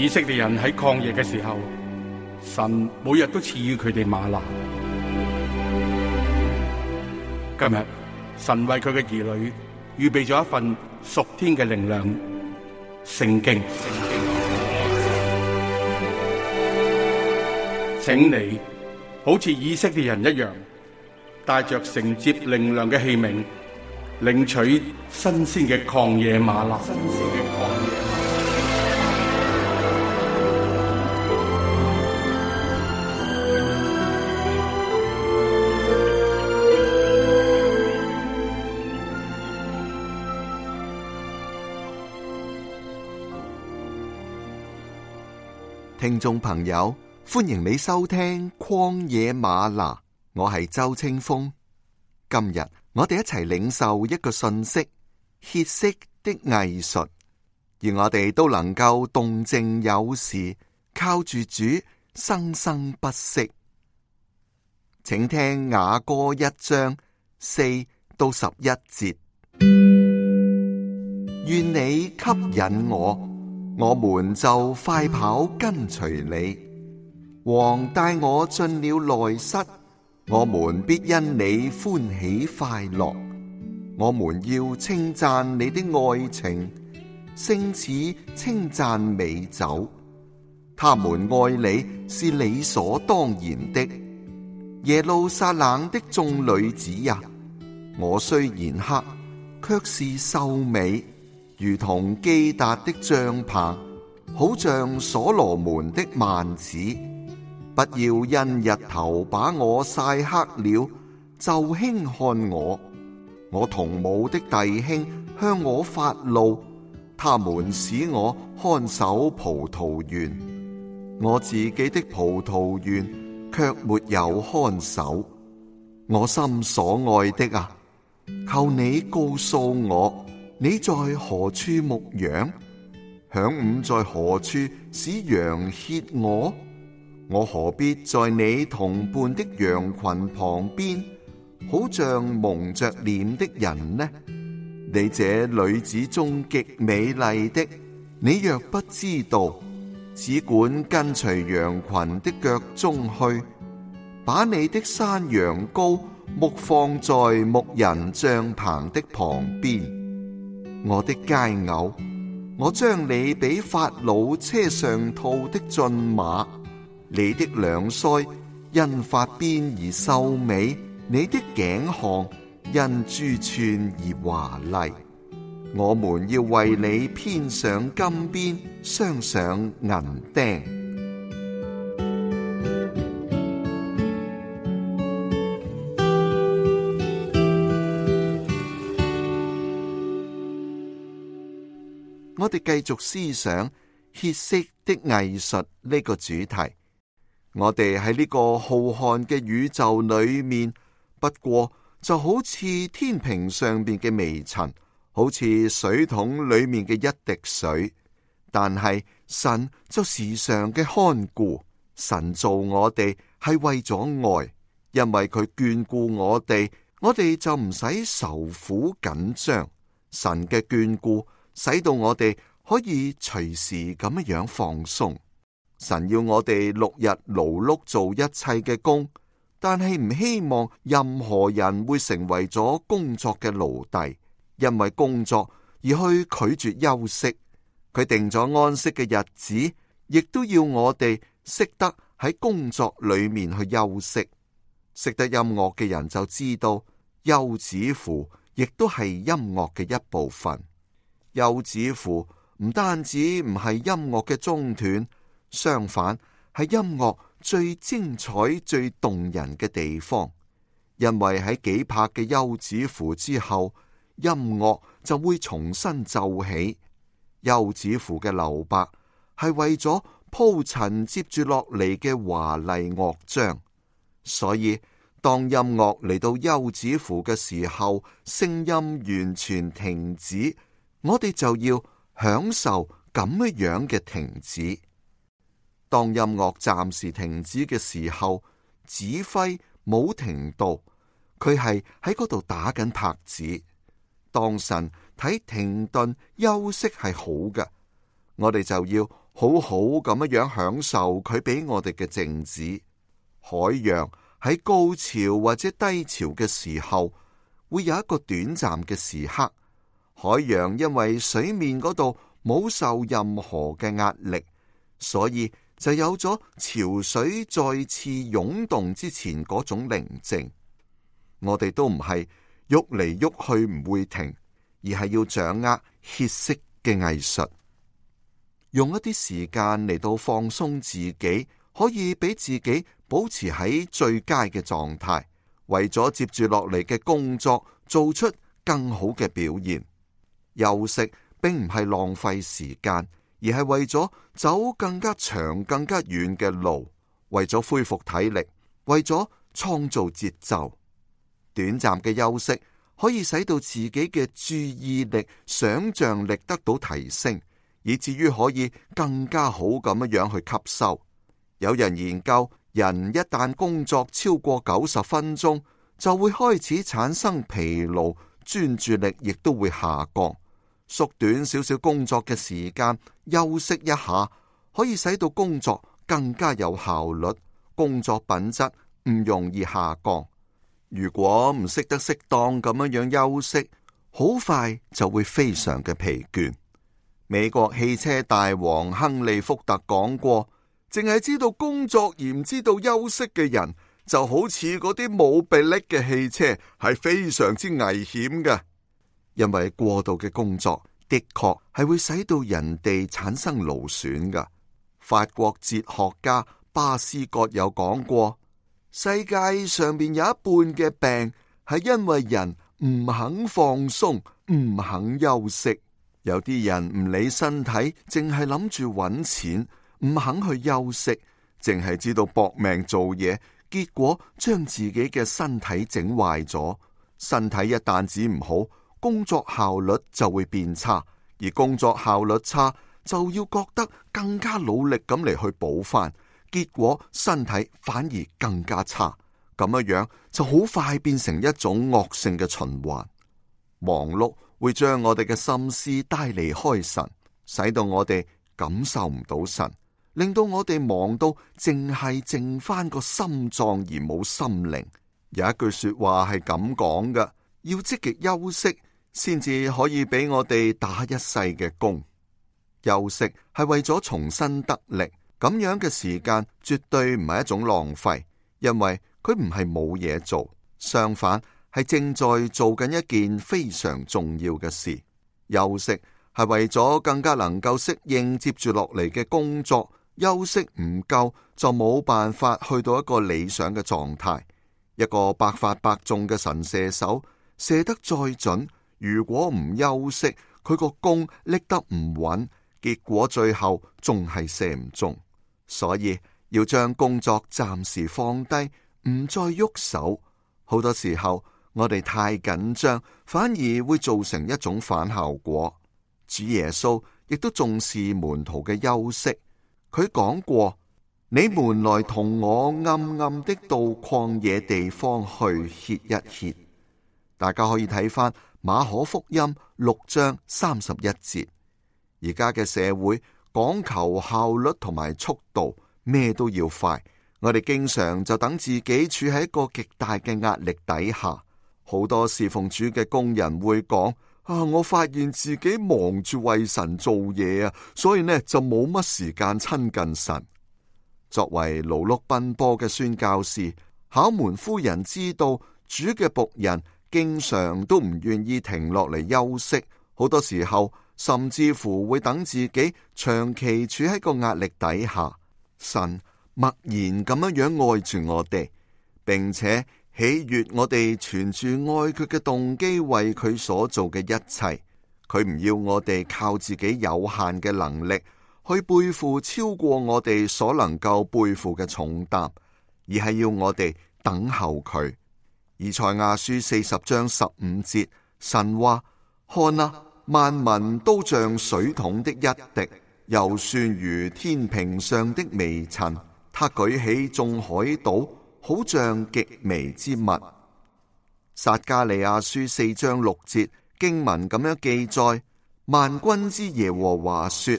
以色列人喺曠野嘅時候，神每日都賜予佢哋嗎哪。今日神為佢嘅兒女預備咗一份屬天嘅靈糧——聖經。請你好似以色列人一樣，帶着承接靈糧嘅器皿，領取新鮮嘅曠野嗎哪。聽眾朋友，歡迎你收聽曠野嗎哪，我係周清風。今日我哋一齊領受一個信息：歇息的藝術，而我哋都能夠動靜有時，靠住主生生不息。請聽雅歌1章4到11節。願你吸引我們就快跑跟隨你。王帶我進了內室，我們必因你歡喜快樂。我們要稱讚你的愛情，勝似稱讚美酒。他們愛你是理所當然的。耶路撒冷的眾女子呀，我雖然黑，卻是秀美，如同基達的帳棚，好像所羅門的幔子。不要因日頭把我曬黑了，就輕看我。我同母的弟兄向我發怒，他們使我看守葡萄園，我自己的葡萄園卻沒有看守。我心所愛的啊，求你告訴我，你在何處牧羊？晌午在何處使羊歇我？我何必在你同伴的羊群旁邊，好像蒙着臉的人呢？你這女子中極美麗的，你若不知道，只管跟隨羊群的腳蹤去，把你的山羊羔牧放在牧人帳棚的旁邊。我的佳偶，我將你比法老車上套的駿馬，你的兩腮因髮邊而秀美，你的頸項因珠串而華麗。我們要為你編上金邊，鑲上銀釘。我哋繼續思想歇息的藝術呢個主題。我哋喺呢個浩瀚嘅宇宙裏面，不過就好似天平上邊嘅微塵，好似水桶裏面嘅一滴水。但係神就時常嘅看顧，神造我哋係為咗愛，因為佢眷顧我哋就唔使愁苦緊張。神嘅眷顧使到我哋可以隨時咁樣放鬆。神要我哋6日勞碌做一切嘅工，但係唔希望任何人會成為咗工作嘅奴隸，因為工作而去拒絕休息。佢定咗安息嘅日子，亦都要我哋識得喺工作裏面去休息。識得音樂嘅人就知道，休止符亦都係音樂嘅一部分。休止符唔單止唔係音樂嘅中斷，相反係音樂最精彩、最動人嘅地方。因為喺幾拍嘅休止符之後，音樂就會重新奏起。休止符嘅留白係為咗鋪陳接住落嚟嘅華麗樂章，所以當音樂嚟到休止符嘅時候，聲音完全停止，我哋就要享受咁樣嘅停止。當音樂暫時停止嘅時候，指揮冇停到，佢係喺嗰度打緊拍子。當神睇停頓休息係好嘅，我哋就要好好咁樣享受佢俾我哋嘅靜止。海洋喺高潮或者低潮嘅時候，會有一個短暫嘅時刻。海洋因為水面嗰度冇受任何嘅壓力，所以就有咗潮水再次湧動之前嗰種寧靜。我哋都唔係喐嚟喐去唔會停，而係要掌握歇息嘅藝術，用一啲時間嚟到放鬆自己，可以俾自己保持喺最佳嘅狀態，為咗接住落嚟嘅工作做出更好嘅表現。休息並唔係浪費時間，而係為咗走更加長更加遠嘅路，為咗恢復體力，為咗創造節奏。短暫嘅休息可以使到自己嘅注意力、想象力得到提升，以至於可以更加好咁樣去吸收。有人研究，人一旦工作超過90分鐘，就會開始產生疲勞，專注力亦都會下降。縮短少少工作嘅時間，休息一下，可以使到工作更加有效率，工作品質唔容易下降。如果唔識得適當咁樣休息，好快就會非常嘅疲倦。美國汽車大王亨利福特講過，淨係知道工作而唔知道休息嘅人，就好似嗰啲冇臂力嘅汽車，係非常之危險嘅。因為過度嘅工作的確係會使到人哋產生勞損㗎。法國哲學家巴斯葛有講過，世界上面有一半嘅病係因為人唔肯放鬆，唔肯休息。有啲人唔理身體，淨係諗住揾錢，唔肯去休息，淨係知道搏命做嘢，結果將自己嘅身體整壞咗。身體一旦止唔好，工作效率就會變差，而工作效率差就要覺得更加努力咁嚟去補翻，結果身體反而更加差。咁樣就好快變成一種惡性嘅循環。忙碌會將我哋嘅心思帶離開神，使到我哋感受唔到神，令到我哋忙到淨係剩翻個心臟而冇心靈。有一句說話係咁講嘅，要積極休息先至可以俾我哋打一世嘅工。休息係為咗重新得力，咁樣嘅時間絕對唔係一種浪費，因為佢唔係冇嘢做，相反係正在做緊一件非常重要嘅事。休息係為咗更加能夠適應接住落嚟嘅工作，休息唔夠就冇辦法去到一個理想嘅狀態。一個百發百中嘅神射手，射得再準，如果唔休息，佢個弓拎得唔穩，結果最後仲係射唔中。所以要將工作暫時放低，唔再喐手。好多時候我哋太緊張，反而會造成一種反效果。主耶穌亦都重視門徒嘅休息，佢講過：你們來同我暗暗的到曠野地方去歇一歇。大家可以睇返馬可福音6章31節。而家嘅社會講求效率同埋速度，咩都要快。我哋經常就等自己處喺一個極大嘅壓力底下。好多侍奉主嘅工人會講：我發現自己忙住為神做嘢啊，所以呢就冇乜時間親近神。作為勞碌奔波嘅宣教士，考門夫人知道主嘅僕人經常都唔願意停落嚟休息，好多時候甚至乎會等自己長期處喺個壓力底下。神默然咁樣愛住我哋，並且喜悅我哋存住愛佢嘅動機，為佢所做嘅一切。佢唔要我哋靠自己有限嘅能力去背負超過我哋所能夠背負嘅重擔，而係要我哋等候佢。以賽亞書40章15節，神話：看啊，萬民都像水桶的一滴，又算如天平上的微塵。他舉起眾海島，好像極微之物。撒迦利亞書4章6節經文咁樣記載：萬軍之耶和華說，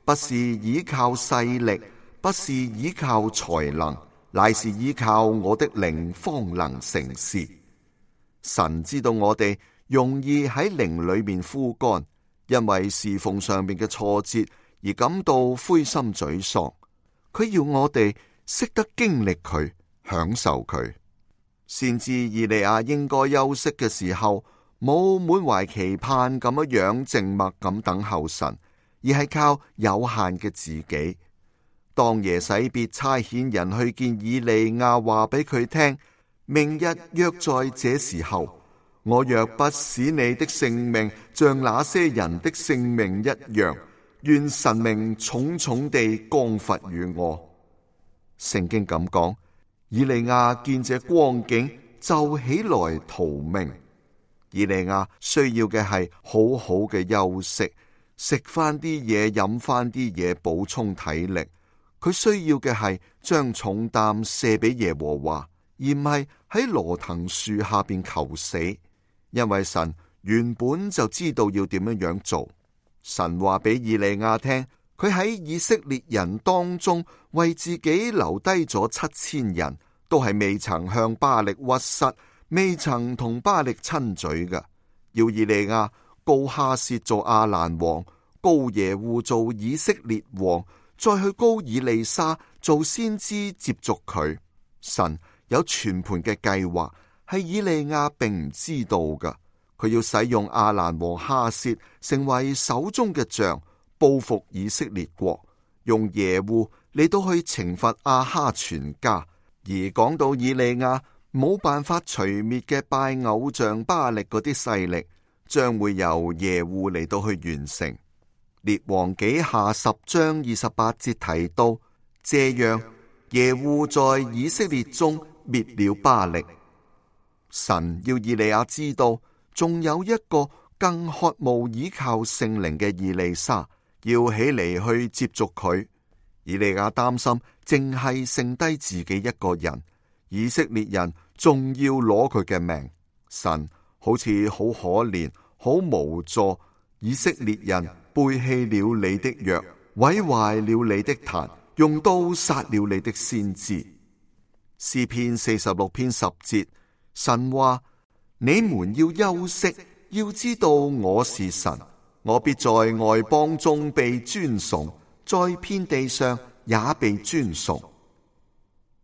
不是倚靠勢力，不是倚靠才能，乃是依靠我的靈方能成事。神知道我哋容易喺靈裏面枯乾，因為侍奉上面嘅挫折而感到灰心沮喪。佢要我哋識得經歷佢，享受佢。先知以利亞應該休息嘅時候，冇滿懷期盼咁樣靜默咁等候神，而係靠有限嘅自己。當耶洗別差遣人去見以利亞，話俾佢聽，明日約在這時候，我若不使你的性命像那些人的性命一樣，願神明重重地降罰於我。聖經咁講，以利亞見這光景就起來逃命。以利亞需要嘅係好好嘅休息，食翻啲嘢，飲翻啲嘢，補充體力。佢需要嘅係將重擔卸俾耶和華，而唔係喺羅藤樹下邊求死。因為神原本就知道要點樣做。神話俾以利亞聽，佢喺以色列人當中為自己留低咗7000人，都係未曾向巴力屈膝，未曾同巴力親嘴嘅。要以利亞膏哈薛做亞蘭王，膏耶戶做以色列王，再去膏以利沙做先知接續佢。神有全盤嘅計劃，係以利亞並唔知道嘅。佢要使用亞蘭王哈薛成為手中嘅杖，報復以色列國，用耶戶嚟到去懲罰亞哈全家。而講到以利亞冇辦法除滅嘅拜偶像巴力嗰啲勢力，將會由耶戶嚟到去完成。列王紀下10章28節提到，這樣耶戶在以色列中滅了巴力。神要以利亞知道，仲有一個更渴慕倚靠聖靈嘅以利沙要起嚟去接續佢。以利亞擔心淨係剩低自己一個人，以色列人仲要攞佢嘅命。神好似好可憐，好無助。以色列人背棄了你的約，毀壞了你的壇，用刀殺了你的先知。詩篇46篇10節，神話：你們要休息，要知道我是神，我必在外邦中被尊崇，在遍地上也被尊崇。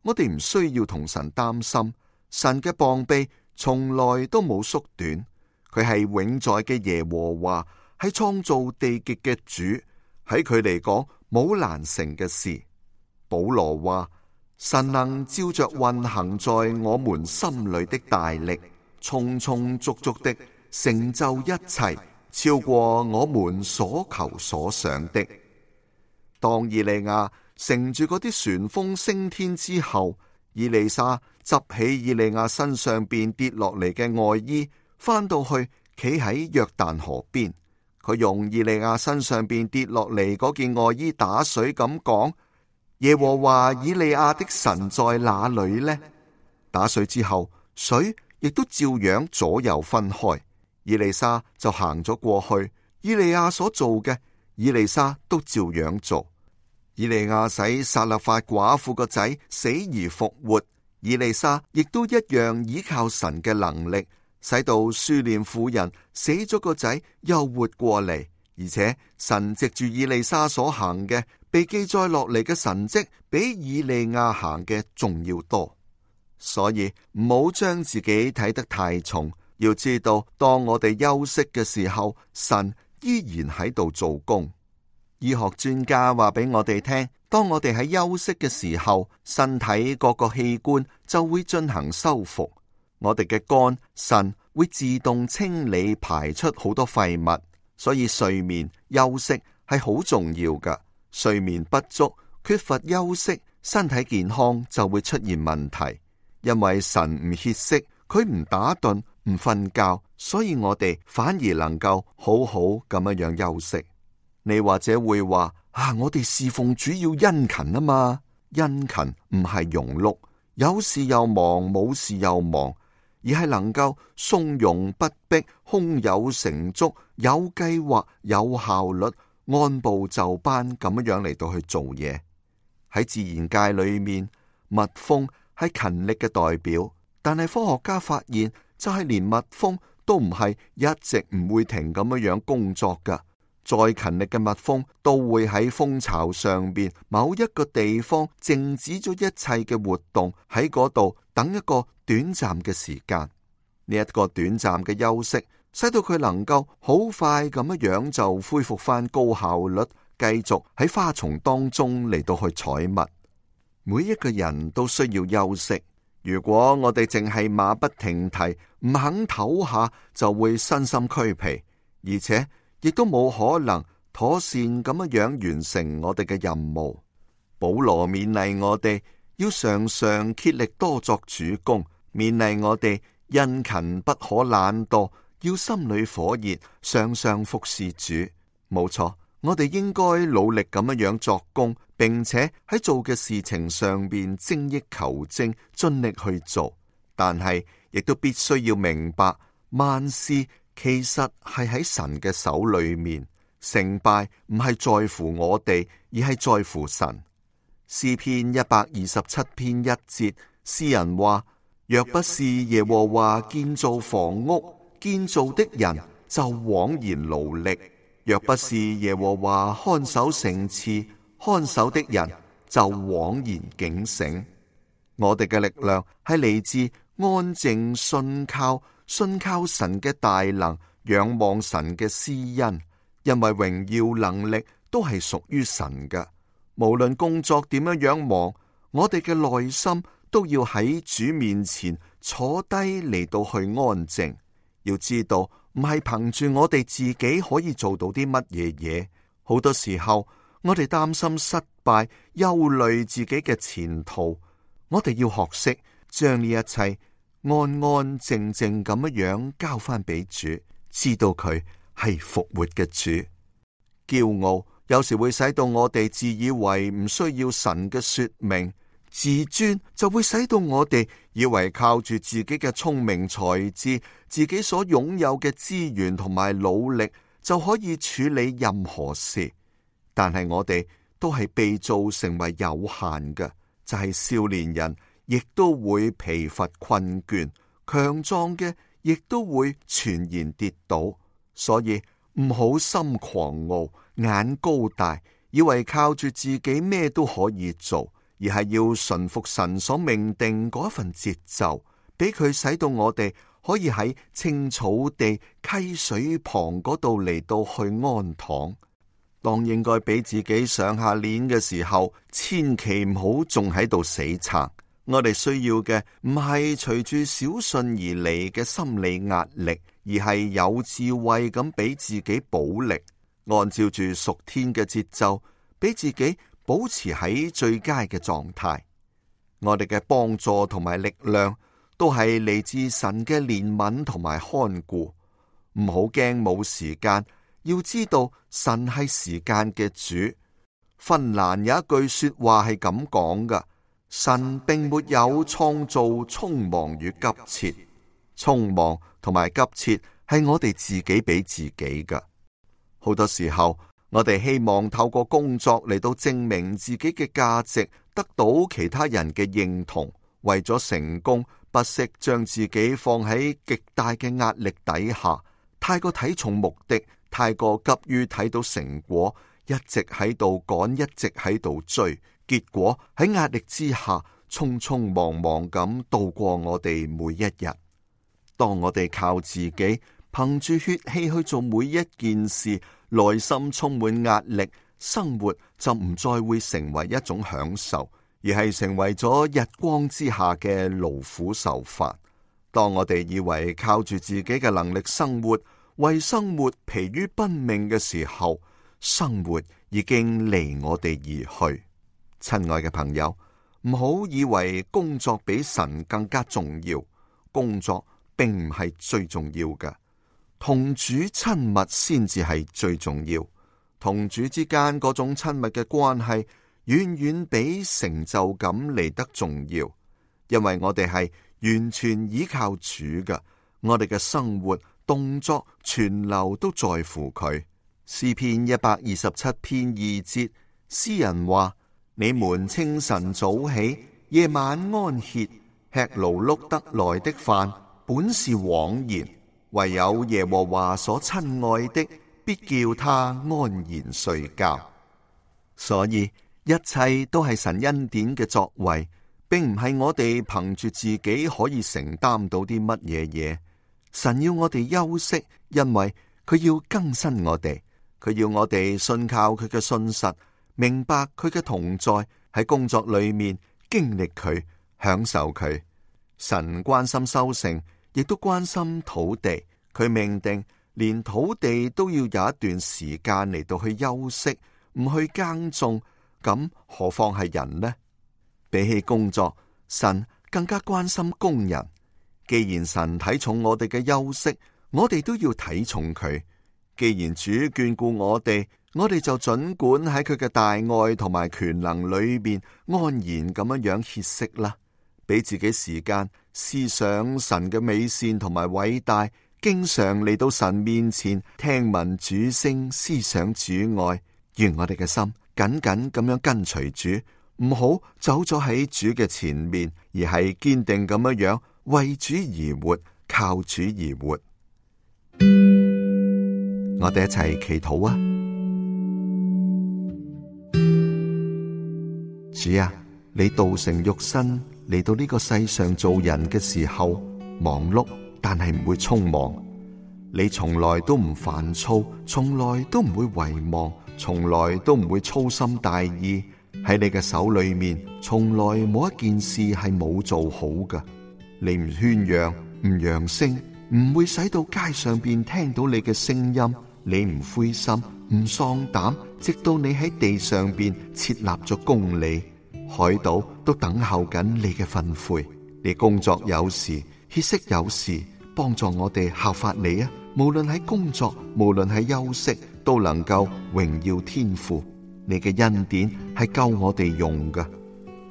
我哋唔需要同神擔心，神嘅膀臂從來都冇縮短，佢係永在嘅耶和華，係創造地極嘅主，喺佢嚟講冇難成嘅事。保羅話：神能照着運行在我們心裏的大力，充充足足的成就一切，超過我們所求所想的。當以利亞乘住嗰啲旋風升天之後，以利沙執起以利亞身上邊跌落嚟嘅外衣，翻到去企喺約旦河邊。佢用以利亞身上邊跌落嚟嗰件外衣打水咁講：耶和華以利亞的神在哪裏呢？打水之後，水亦都照樣左右分開。以利沙就行咗過去，以利亞所做嘅，以利沙都照樣做。以利亞使撒勒法寡婦個仔死而復活，以利沙亦都一樣依靠神嘅能力，使到書念婦人死咗個仔又活過嚟。而且神藉住以利沙所行嘅，被記載落嚟嘅神蹟，比以利亞行嘅仲要多。所以唔好將自己睇得太重，要知道當我哋休息嘅時候，神依然喺度做工。醫學專家話俾我哋聽，當我哋喺休息嘅時候，身體各個器官就會進行修復。我哋嘅肝、腎會自動清理排出好多廢物，所以睡眠休息係好重要㗎。睡眠不足、缺乏休息，身體健康就會出現問題。因為神唔歇息，佢唔打盹、唔瞓覺，所以我哋反而能夠好好咁樣休息。你或者會話：我哋侍奉主要殷勤啊嘛，殷勤唔係庸碌，有事又忙，冇事又忙，而係能夠從容不迫、胸有成竹、有計劃、有效率、按部就班咁樣嚟到去做嘢。喺自然界裏面，蜜蜂係勤力嘅代表，但係科學家發現，就係連蜜蜂都唔係一直唔會停咁樣工作噶。再勤力嘅蜜蜂都會喺蜂巢上邊某一個地方靜止咗一切嘅活動，喺嗰度等一個短暫嘅時間。呢一個短暫嘅休息，使到佢能夠好快咁樣就恢復翻高效率，繼續喺花叢當中嚟到去採蜜。每一個人都需要休息。如果我哋淨係馬不停蹄，唔肯唞下，就會身心俱疲，而且亦都冇可能妥善咁樣完成我哋嘅任務。保羅勉勵我哋要常常竭力多作主工，勉勵我哋殷勤不可懶惰，要心裏火熱，常常服侍主。冇錯，我哋應該努力咁樣作工，並且喺做嘅事情上邊精益求精，盡力去做。但係亦都必須要明白，萬事其實係喺神嘅手裏面，成敗唔係在乎我哋，而係在乎神。詩篇127篇1節，詩人話：若不是耶和華建造房屋，建造的人就枉然勞力；若不是耶和華看守城池，看守的人就枉然警醒。我哋嘅力量係嚟自安靜信靠神嘅大能，仰望神嘅施恩，因為榮耀能力都係屬於神嘅。無論工作點樣忙，我哋嘅內心都要喺主面前坐低嚟到去安靜。要知道，唔係憑住我哋自己可以做到啲乜嘢嘢。好多時候，我哋擔心失敗，憂慮自己嘅前途。我哋要學識將呢一切安安靜靜咁樣交翻俾主，知道佢係復活嘅主。驕傲有時會使到我哋自以為唔需要神嘅說明，自尊就會使到我哋以為靠住自己嘅聰明才智，自己所擁有嘅資源同埋努力就可以處理任何事。但係我哋都係被造成為有限嘅，就係少年人亦都會疲乏困倦，強壯嘅亦都會全然跌倒。所以唔好心狂傲，眼高大，以為靠住自己咩都可以做，而係要順服神所命定嗰份節奏，俾佢使到我哋可以喺青草地、溪水旁嗰度嚟到去安躺。當應該俾自己上下鏈嘅時候，千祈唔好仲喺度死撐。我哋需要嘅唔係隨住小信而嚟嘅心理壓力，而係有智慧咁俾自己補力，按照住屬天嘅節奏，俾自己保持喺最佳嘅狀態。我哋嘅幫助同埋力量都係嚟自神嘅憐憫同埋看顧。唔好驚冇時間，要知道神係時間嘅主。芬蘭有一句說話係咁講噶：神並沒有創造匆忙與急切，匆忙同埋急切係我哋自己俾自己噶。好多時候，我哋希望透過工作嚟到證明自己嘅價值，得到其他人嘅認同。為咗成功，不惜將自己放喺極大嘅壓力底下，太過睇重目的，太過急於睇到成果，一直喺度趕，一直喺度追，結果喺壓力之下，匆匆忙忙咁度過我哋每一日。當我哋靠自己，憑住血氣去做每一件事，內心充滿壓力，生活就唔再會成為一種享受，而係成為咗日光之下嘅勞苦受煩。當我哋以為靠住自己嘅能力生活，為生活疲於奔命嘅時候，生活已經離我哋而去。親愛嘅朋友，唔好以為工作比神更加重要，工作並唔係最重要嘅，同主親密先至係最重要。同主之間嗰種親密嘅關係，遠遠比成就感嚟得重要，因為我哋係完全依靠主嘅，我哋嘅生活動作全流都在乎佢。詩篇127篇2節，詩人話：你們清晨早起，夜晚安歇，吃勞碌得來的飯，本是枉然。唯有耶和華所親愛的，必叫他安然睡覺。所以一切都係神恩典嘅作為，並唔係我哋憑住自己可以承擔到啲乜嘢嘢。神要我哋休息，因為佢要更新我哋，佢要我哋信靠佢嘅信實，明白佢嘅同在，喺工作裏面經歷佢，享受佢。神關心收成，亦都關心土地，佢命定連土地都要有一段時間嚟到去休息，唔去耕種，咁何況係人呢？比起工作，神更加關心工人。既然神睇重我哋嘅休息，我哋都要睇重佢。既然主眷顧我哋就盡管喺佢嘅大愛同埋權能裏邊安然咁樣歇息啦，俾自己時間思想神嘅美善同埋偉大，經常嚟到神面前聽聞主聲，思想主愛。願我哋嘅心緊緊咁樣跟隨主，唔好走咗喺主嘅前面，而係堅定咁樣為主而活，靠主而活。我哋一齊祈禱啊！主啊，你道成肉身嚟到呢個世上做人嘅時候，忙碌但係唔會匆忙。你從來都唔煩躁，從來都唔會遺忘，從來都唔會粗心大意。喺你嘅手裏面，從來冇一件事係冇做好㗎。你唔喧嚷，唔揚聲，唔會使到街上邊聽到你嘅聲音。你唔灰心，唔喪膽，直到你喺地上邊設立咗公理，海島都等候緊你嘅訓誨。你工作有時，歇息有時，幫助我哋效法你啊！無論喺工作，無論喺休息，都能夠榮耀天父。你嘅恩典係夠我哋用㗎。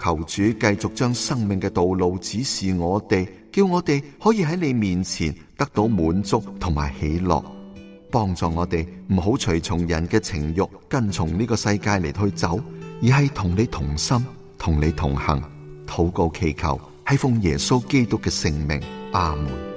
求主繼續將生命嘅道路指示我哋，叫我哋可以喺你面前得到滿足同埋喜樂。幫助我哋唔好隨從人嘅情欲，跟從呢個世界嚟去走，而係同你同心，同你同行。禱告祈求係奉耶穌基督嘅聖名，阿門。